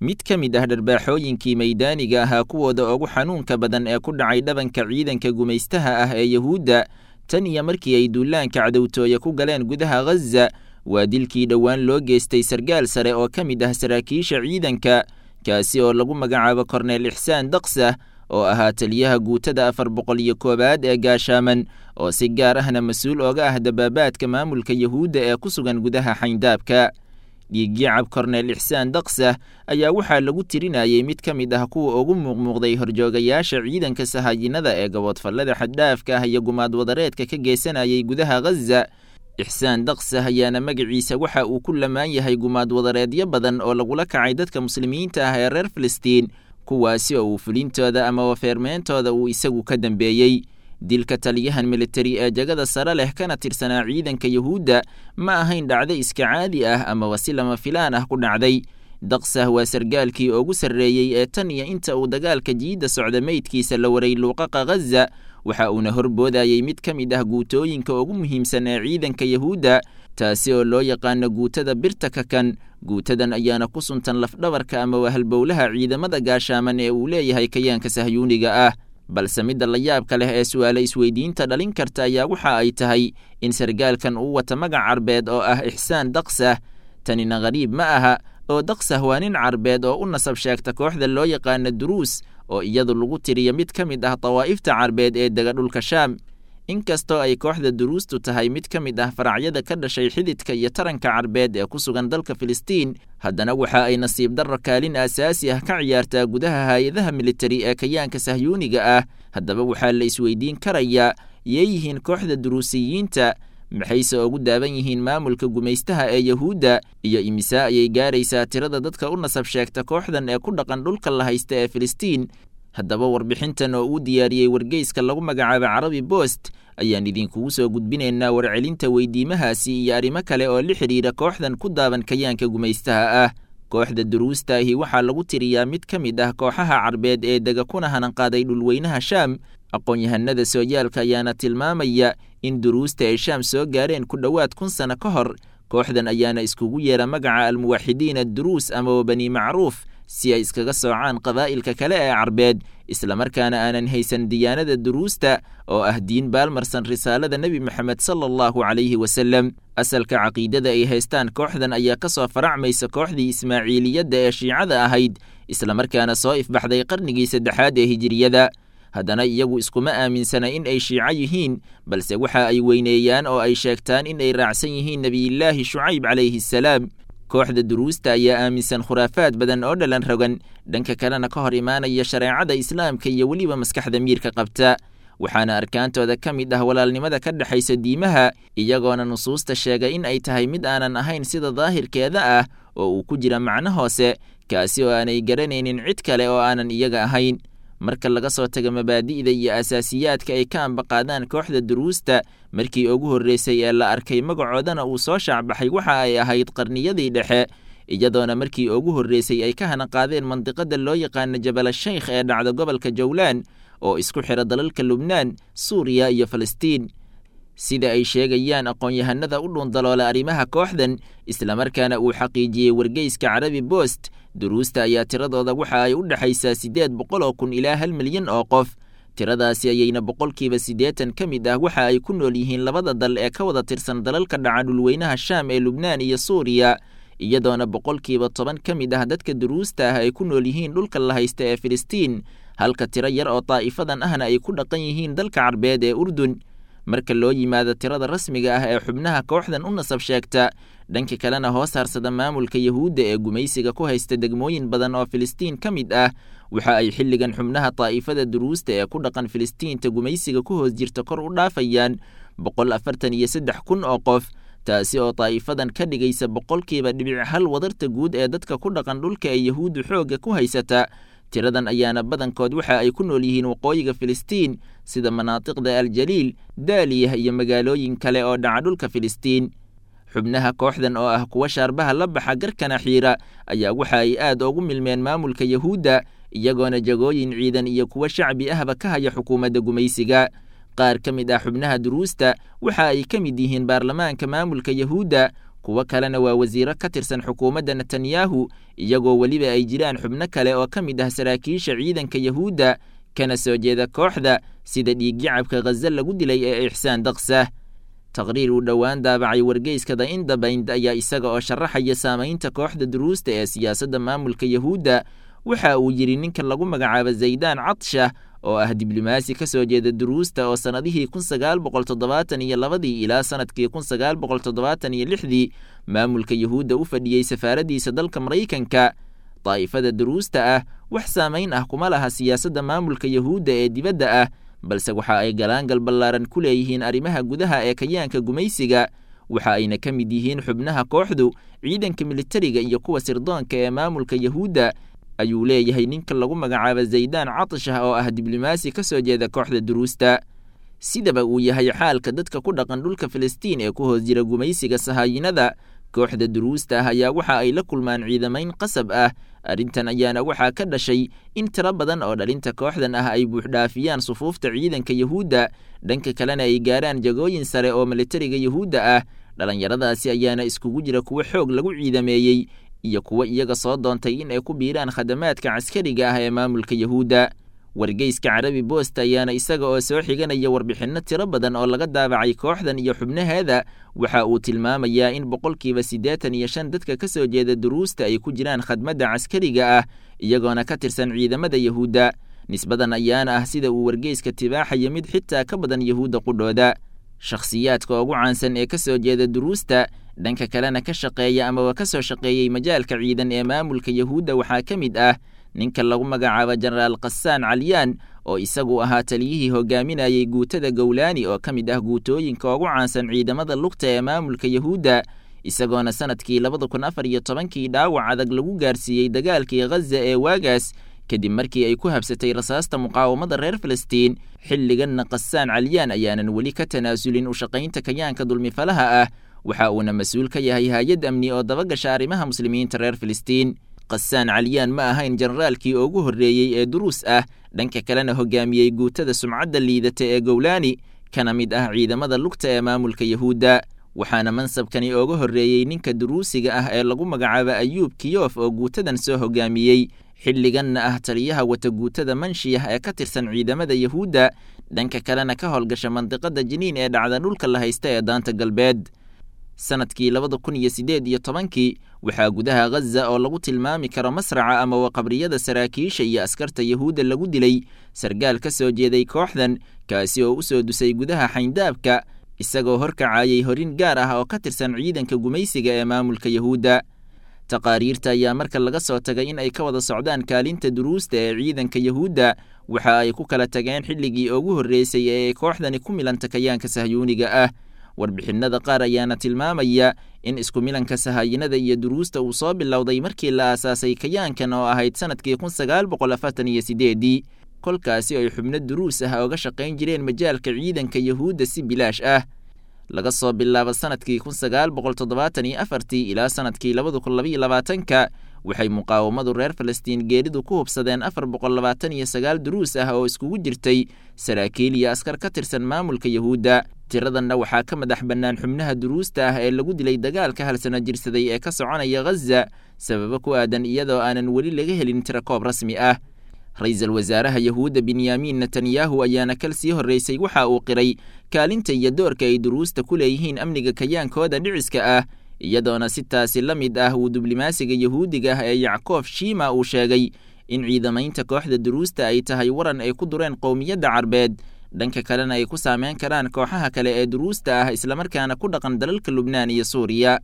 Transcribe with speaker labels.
Speaker 1: Mid ka mid ah dharbaaxooyinkii maydaaniga ahaa kuwooda ugu xanuunka badan ee ku dhacay dhabanka ciidanka gumaystaha ah ee Yahuudda tan iyo markii ay duulaanka cadowtooye ku galeen gudaha Ghaza waa dilkii dhowaan loo geystay sargaal sare oo ka mid ah saraakiisha ciidanka, kaasi oo lagu magacaabo Korneel Ixsaan Daqsah, oo ahaa taliyaha guutada 401aad ee gaashaaman, oo si gaar ahna mas-uul oga ah dabaabaadka maamulka Yahuudda ee ku sugan gudaha xayndaabka. Dhiigyacab Korneel Ixsaan Daqsah ayaa waxaa lagu tirinayay mid ka mid ah kuwa ugu muuqmuuqday horjoogayaasha ciidanka sahaayinada ee gaboodfallada xaddhaafka ah iyo gumaad wadareedka ka geysanayay gudaha Ghaza. Ixsaan Daqsah ayaana magaciisa waxa uu ku lamaan yahay gumaad wadareedyo badan oo lagula kacay dadka muslimiinta ah ee reer Filistiin, kuwaasi oo uu fulintooda ama wafeermeyntooda uu isagu ka dambeeyey. Dilka taliyahan militari ee jagada sare leh kana tirsanaa ciidanka Yahuudda ma ahayn dhacdo iska caadi ah amaba si lama filaan ah ku dhacday. Daqsah waa sargaalkii ugu sarreeyey ee tan iyo inta uu dagaalka jiidda socda meydkiisa la waray luuqaqa Ghaza, waxa uuna horboodayay mid ka mid ah guutooyinka ugu muhiimsan ee ciidanka Yahuudda, taasi oo loo yaqaano guutada birta kakan. Guutadan ayaana ku suntan lafdhabarka ama wahalbowlaha ciidamada gaashaaman ee uu leeyahay kayaanka sahyuuniga ah. Balse midda la yaabka leh ee su'aale isweydiinta dhalin karta ayaa waxa ay tahay in sargaalkan uu wata magac carbeed oo ah Ixsaan Daqsah. Tanina qariib ma aha, oo Daqsah waa nin carbeed oo u nasab sheegta kooxda loo yaqaano Duruus, oo iyadu lagu tiriyo mid ka mid ah dawaa'ifta carbeed ee dega dhulka Shaam. Inkastoo ay kooxda Duruustu tahay mid ka mid ah faracyada ka dhashay xididka iyo taranka carbeed ee ku sugan dalka Filistiin, haddana waxa ay nasiib darro kaalin aasaasi ah ka ciyaartaa gudaha hay-adaha militari ee kayaanka sahyuuniga ah. Haddaba waxaa la isweydiin karayaa, yee yihiin kooxda Duruusiyiinta? Maxayse ugu daaban yihiin maamulka gumaystaha ee Yahuudda? Iyo imisaa ayay gaaraysaa tirada dadka u nasab sheegta kooxdan ee ku dhaqan dhulka la haysta ee Filistiin? Haddaba warbixintan oo uu diyaariyey wargeyska lagu magacaabo Carabi Post ayaan idinkugu soo gudbinaynaa warcelinta weydiimahaasi iyo arrimo kale oo la xidhiira kooxdan ku daaban kayaanka gumaystaha ah. Kooxda Duruusta ahi waxaa lagu tiriyaa mid ka mid ah kooxaha carbeed ee dega kuna hananqaaday dhulweynaha Shaam. Aqoon-yahanada sooyaalka ayaana tilmaamaya in duruusta ay Shaam soo gaareen ku dhowaad 1000 sano ka hor. Kooxdan ayaana iskugu yeera magaca Almuwaxidiin Adduruus amaba Bani Macruuf si ay iskaga soocaan qabaa'ilka kale ee carbeed, islamarkaana aanan haysan diyaanada duruusta oo ah diin baalmarsan risaalada Nebi Moxamed sala allahu calayhi wasalem. Asalka caqiidada ay haystaan kooxdan ayaa ka soo faracmaysa kooxdii Ismaaciiliyadda ee shiicada ahayd, islamarkaana soo ifbaxday qarnigii saddexaad ee hijiriyada. Haddana iyagu iskuma aaminsana in ay shiico yihiin, balse waxa ay weyneeyaan oo ay sheegtaan in ay raacsan yihiin Nebiyillaahi Shucayb calayhi assalaam. Kooxda Duruusta ayaa aaminsan khuraafaad badan oo dhalan rogan, dhanka kalena ka hor imaanaya shareecada islaamka iyo weliba maskaxda miirka qabta. Waxaana arkaantooda ka mid ah walaalnimada ka dhexaysa diimaha, iyagoona nusuusta sheegay in ay tahay mid aanan ahayn sida daahirkeeda ah oo uu ku jira macno hoose, kaasi oo aanay garanaynin cid kale oo aanan iyaga ahayn. Marka laga soo tago mabaadi'da iyo asaasiyaadka ay ka ambaqaadaan kooxda Duruusta, markii ugu horreysay ee la arkay magacoodana uu soo shaacbaxay waxa ay ahayd qarniyadii dhexe, iyadoona markii ugu horreysay ay ka hanaqaadeen mandiqada loo yaqaano Jabal Sheykh ee dhacda gobolka Jowlaan oo isku xira dalalka Lubnaan, Suuriya iyo Falastiin. Sida ay sheegayaan aqoon-yahanada u dhuundaloola arrimaha kooxdan, islamarkaana uu xaqiijiyey wargeyska Carabi Post, Duruusta ayaa tiradooda waxa ay u dhexaysaa 800,000 ilaa 1 milyan oo qof. Tiradaasi ayayna 80% ka mid ah waxa ay ku nool yihiin labada dal ee ka wada tirsan dalalka dhaca dhulweynaha Shaam ee Lubnaan iyo Suuriya, iyadoona 10% ka mid ah dadka Duruusta ah ay ku nool yihiin dhulka la haysta ee Filistiin, halka tiro yar oo daa'ifadan ahna ay ku dhaqan yihiin dalka carbeed ee Urdun. Marka loo yimaado tirada rasmiga ah ee xubnaha kooxdan u nasab sheegta, dhanka kalena hoos harsada maamulka Yahuudda ee gumaysiga ku haysta degmooyin badan oo Filistiin ka mid ah, waxa ay xilligan xubnaha daa'ifada Duruusta ee ku dhaqan Filistiinta gumaysiga ku hoos jirta kor u dhaafayaan 143,000 oo qof, taasi oo daa'ifadan ka dhigaysa 0.1% wadarta guud ee dadka ku dhaqan dhulka ee Yahuuddu xoogga ku haysata. Tiradan ayaana badankood waxa ay ku nool yihiin waqooyiga Filistiin, sida manaatiqda Aljaliil, Daaliyah iyo magaalooyin kale oo dhaca dhulka Filistiin. Xubnaha kooxdan oo ah kuwa shaarbaha la baxa garkana xiira ayaa waxa ay aad ugu milmeen maamulka Yahuudda, iyagoona jagooyin ciidan iyo kuwa shacbi ahba ka haya xukuumadda gumaysiga. Qaar ka mid ah xubnaha Duruusta waxa ay ka mid yihiin baarlamaanka maamulka Yahuudda, Kuwo kalena waa wasiiro ka tirsan xukuumadda Netanyahu, iyagoo weliba ay jiraan xubno kale oo ka mid ah saraakiisha ciidanka Yahuudda kana soo jeeda kooxda, sida dhiigyacabka Khaza lagu dilay ee Ixsaan Daksah. Taqriir uu dhowaan daabacay wargeyska The Independent ayaa isaga oo sharaxaya saamaynta kooxda duruusta ee siyaasadda maamulka Yahuudda waxa uu yidhi ninka lagu magacaabo Zaydaan Cadshah oo ah diblomaasi ka soo jeeda duruusta oo sannadihii 1972dii ilaa sannadkii 1976dii maamulka Yahuudda u fadhiyey safaaraddiisa dalka Maraykanka. Daa'ifada duruusta ah wax saamayn ah kuma laha siyaasadda maamulka Yahuudda ee dibadda ah, balse waxa ay galaangal ballaaran ku leeyihiin arrimaha gudaha ee kayaanka gumaysiga. Waxa ayna ka mid yihiin xubnaha kooxdu ciidanka militariga iyo kuwa sirdoonka ee maamulka Yahuudda, ayuu leeyahay ninka lagu magacaabo Zaydaan Catshah oo ah diblomaasi ka soo jeeda kooxda duruusta. Sidaba uu yahay xaalka dadka ku dhaqan dhulka Filistiin ee ku hoos jira gumaysiga sahaayinada, kooxda duruusta ah ayaa waxa ay la kulmaan ciidamayn qasab ah. Arrintan ayaana waxaa ka dhashay in tiro badan oo dhalinta kooxdan ah ay buuxdhaafiyaan sufuufta ciidanka Yahuudda, dhanka kalena ay gaaraan jagooyin sare oo militariga Yahuudda ah. Dhallinyaradaasi ayaana iskugu jira kuwo xoog lagu ciidameeyey iyo kuwo iyaga soo doontay in ay ku biiraan khadamaadka caskariga ah ee maamulka Yahuudda. Wargeyska Carabi Bost ayaana isaga oo soo xiganaya warbixinno tiro badan oo laga daabacay kooxdan iyo xubnaheeda waxa uu tilmaamayaa in 85% dadka ka soo jeeda duruusta ay ku jiraan khadmadda caskariga ah, iyagoona ka tirsan ciidamada Yahuudda. Nisbadan ayaana ah sida uu wargeyska tibaaxaya mid xitaa ka badan Yahuudda qudhooda. Shakhsiyaadka ugu caansan ee ka soo jeeda duruusta, dhanka kalena ka shaqeeya amaba ka soo shaqeeyey majaalka ciidan ee maamulka Yahuudda waxaa ka mid ah ninka lagu magacaabo Jenaraal Khasaan Calyaan oo isagu ahaa taliyihii hogaaminayey guutada Gowlaani oo ka mid ah guutooyinka ugu caansan ciidamada lugta ee maamulka Yahuudda, isagoona sannadkii 2014kii dhaawac adag lagu gaarsiiyey dagaalkii Khaza ee waagaas kadib markii ay ku habsatay rasaasta muqaawamada reer Filistiin. Xilliganna Khasaan Calyaan ayaanan weli ka tanaasulin u shaqaynta kayaanka dulmifalaha ah, waxa uuna mas-uul ka yahay hay-ad amni oo dabagasha arrimaha muslimiinta reer Filistiin. Khasaan Calyaan ma ahayn generaalkii ugu horreeyey ee duruus ah, dhanka kalena hogaamiyey guutada sumcadda liidata ee Gowlaani, kana mid ah ciidamada lugta ee maamulka Yahuudda. Waxaana mansabkani uga horreeyey ninka duruusiga ah ee lagu magacaabo Ayuub Kiyof oo guutadan soo hogaamiyey, xilliganna ah taliyaha wata guutada Manshiyah ee ka tirsan ciidamada Yahuudda, dhanka kalena ka howlgasha mandiqada Jiniin ee dhacda dhulka la haysta ee daanta galbeed. Sannadkii 2018kii waxaa gudaha Khaza oo lagu tilmaami karo masraca ama waqabriyada saraakiisha iyo askarta Yahuudda lagu dilay sargaal ka soo jeeday kooxdan, kaasi oo u soo dusay gudaha xayndaabka isagoo horkacayay horin gaar ah oo ka tirsan ciidanka gumaysiga ee maamulka Yahuudda. Taqaariirta ayaa marka laga soo tagay in ay ka wada socdaan kaalinta duruusta ee ciidanka Yahuudda, waxa ay ku kala tageen xilligii ugu horreysay ee ay kooxdani ku milanta kayaanka sahyuuniga ah. Warbixinnada qaar ayaana tilmaamaya in isku milanka sahaayinada iyo duruusta uu soo bilowday markii la aasaasay kayaankan oo ahayd sannadkii 1948dii, kolkaasi ay xubno duruus ah ooga shaqayn jireen majaalka ciidanka Yahuudda si bilaash ah. Laga soo bilaabo sannadkii 1974tii ilaa sannadkii 2022ka waxay muqaawamadu reer Falastiin geeridu ku hubsadeen 429 duruus ah oo iskugu jirtay saraakiil iyo askar ka tirsan maamulka Yahuudda. Tiradanna waxaa ka madax bannaan xubnaha duruusta ah ee lagu dilay dagaalka hal sano jirsaday ee ka soconaya Khaza, sababo ku aadan iyadoo aanan weli laga helin tirakoob rasmi ah. Ra-iisul wasaaraha Yahuudda Benyamin Netanyahu ayaana kal sii horreysay waxa uu qiray kaalinta iyo doorka ay duruusta ku leeyihiin amniga kayaankooda dhiciska ah, iyadoona si taasi la mid ah uu diblomaasiga Yahuudiga ah ee Yackof Shima uu sheegay in ciidamaynta kooxda duruusta ay tahay waran ay ku dureen qowmiyadda Carbeed, dhanka kalena ay ku saameyn karaan kooxaha kale ee duruusta ah islamarkaana ku dhaqan dalalka Lubnaan iyo Suuriya.